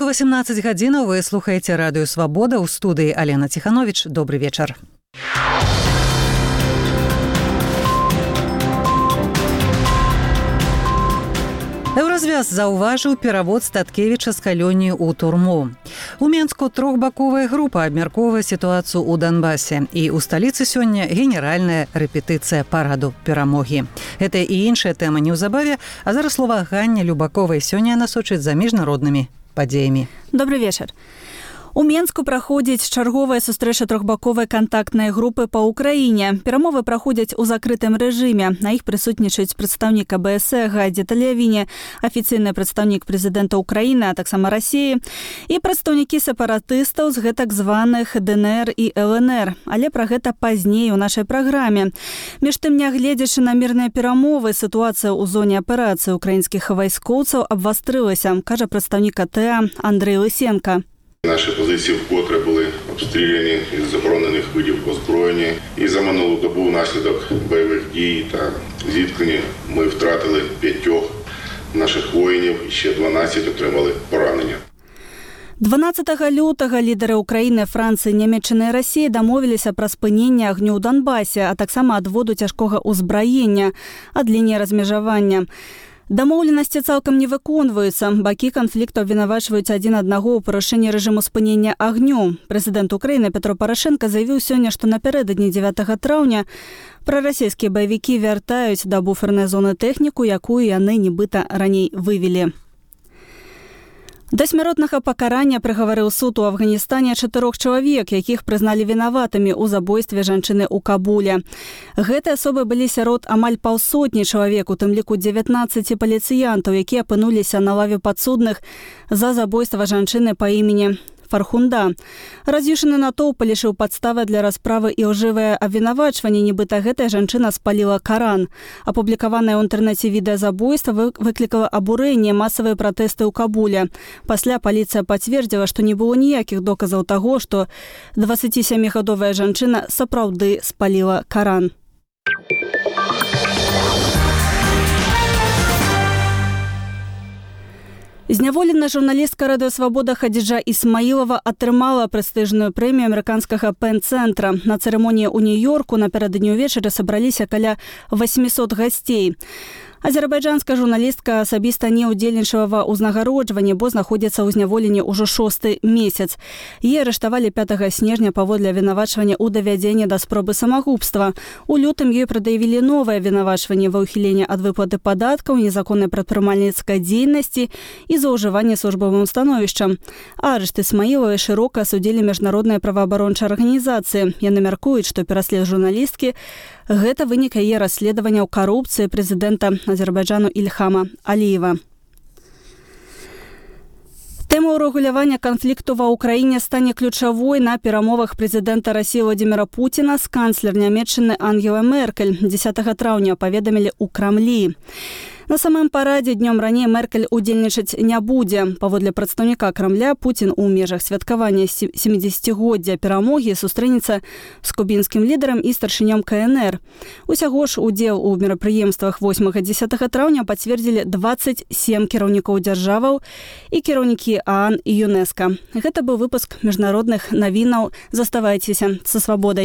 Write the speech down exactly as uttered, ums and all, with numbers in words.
Ранку васемнаццаць гадзінаў вы слухаеце радыё Свабода, у студыі Алена Ціхановіч. Добры вечар. Еўразвяз заўважыў перавод Статкевіча з калоніі ў турму. У Менску трохбаковая група абмяркоўвае сітуацыю ў Донбасе, і ў сталіцы сёння генеральная рэпетыцыя параду перамогі. Гэта і іншая тэма неўзабаве, а зараз слова Ганне Любаковай сёння насочыць за міжнароднымі падзеямі. Добрый вечар. У Менску праходзіць чарговая сустрэча трохбаковай кантактнай групы па ўкраіне. Перамовы праходзяць у закрытым рэжыме. На іх прысутнічаюць прадстаўнік а бэ эс Гайдзе Талявіне, афіцыйны прадстаўнік прэзідэнта Украіны, а таксама Расіі, і прадстаўнікі сепаратыстаў з гэтак званых дэ эн эр і эл эн эр. Але пра гэта пазней у нашай праграме. Між тым, нягледзячы на мірныя перамовы, сітуацыя ў зоне аперацыі ўкраінскіх вайскоўцаў абвастрылася, кажа прадстаўнік а тэ а Андрей Лисенко. Наші позиції вкотре були обстріляні із заборонених видів озброєння. І за минулу добу внаслідок бойових дій та зіткнень ми втратили п'ятьох наших воїнів і ще дванадцять отримали поранення. дванаццатага лютага лідары Украіны, Францыі, Нямецчыны і Расіі дамовіліся пра спыненне агню ў Донбасе, а таксама адводу цяжкога ўзбраення ад лініі размежавання. Дамоўленасці цалкам не выконваюцца. Бакі канфлікту абвінавачваюць адзін аднаго ў парушэнні рэжыму спынення агню. Прэзідэнт Украіны Петро Парашенко заявіў сёння, што напярэдадні дзевятага траўня прарасійскія баевікі вяртаюць да буфернай зоны тэхніку, якую яны нібыта раней вывелі. Да смяротнага пакарання прыгаварыў суд у Афганістане чатырох чалавек, якіх прызналі вінаватымі ў забойстве жанчыны ў Кабуле. Гэтыя асобы былі сярод амаль паўсотні чалавек, у тым ліку дзевятнаццаці паліцыянтаў, якія апынуліся на лаве падсудных за забойства жанчыны па імені Фархунда. Раз'юшаны натоўп лішыў падставы для расправы і лжывае абвінавачванне, нібыта гэтая жанчына спаліла Каран. Апублікаванае ў інтэрнэце відэа забойства выклікала абурэнне, масавыя пратэсты ў Кабуле. Пасля паліцыя пацвердзіла, што не было ніякіх доказаў таго, што дваццацісямігадовая жанчына сапраўды спаліла Каран. Зняволеная журналістка радыё Свабода Хадзіджа Ісмаілова атрымала прэстыжную прэмію амерыканскага Пен-цэнтра. На цырымоніі ў Нью-Йорку напярэдадні ўвечары сабраліся каля восьмісот гасцей. Азербайджанская журналістка асабіста не ўдзельнічала ва ўзнагароджванні, бо знаходзіцца ў зняволенні ўжо шосты месяц. Яе арыштавалі пятага снежня паводле абвінавачвання ў давядзенні да спробы самагубства. У лютым ёй прад'явілі новае абвінавачванне ва ўхіленні ад выплаты падаткаў, незаконнай прадпрымальніцкай дзейнасці і злоўжывання службовым становішчам. Арышт Ісмаілавай шырока асудзілі міжнародныя праваабарончыя арганізацыі. Яны мяркуюць, што пераслед журналісткі гэта вынік яе расследавання ў карупцыі прэзідэнта Азербайджану Ільхама Аліева. Тэма ўрэгулявання канфлікту ва ўкраіне стане ключавой на перамовах прэзідэнта Расіі Владзіміра Пуціна з канцлер Нямецчыны Ангелай Меркель. дзесятага траўня паведамілі ў Крамлі. На самым парадзе днём раней Меркель удзельнічаць не будзе. Паводле прадстаўніка Крамля, Пуцін у межах святкавання сямідзесяцігоддзя перамогі сустрэнецца з кубінскім лідарам і старшынём ка эн эр. Усяго ж удзел у мерапрыемствах восьмага-дзесятага траўня пацвердзілі дваццаць сем кіраўнікоў дзяржаваў і кіраўнікі а ан і ЮНЕСКА. Гэта быў выпуск міжнародных навінаў. Заставайцеся са Свабодай.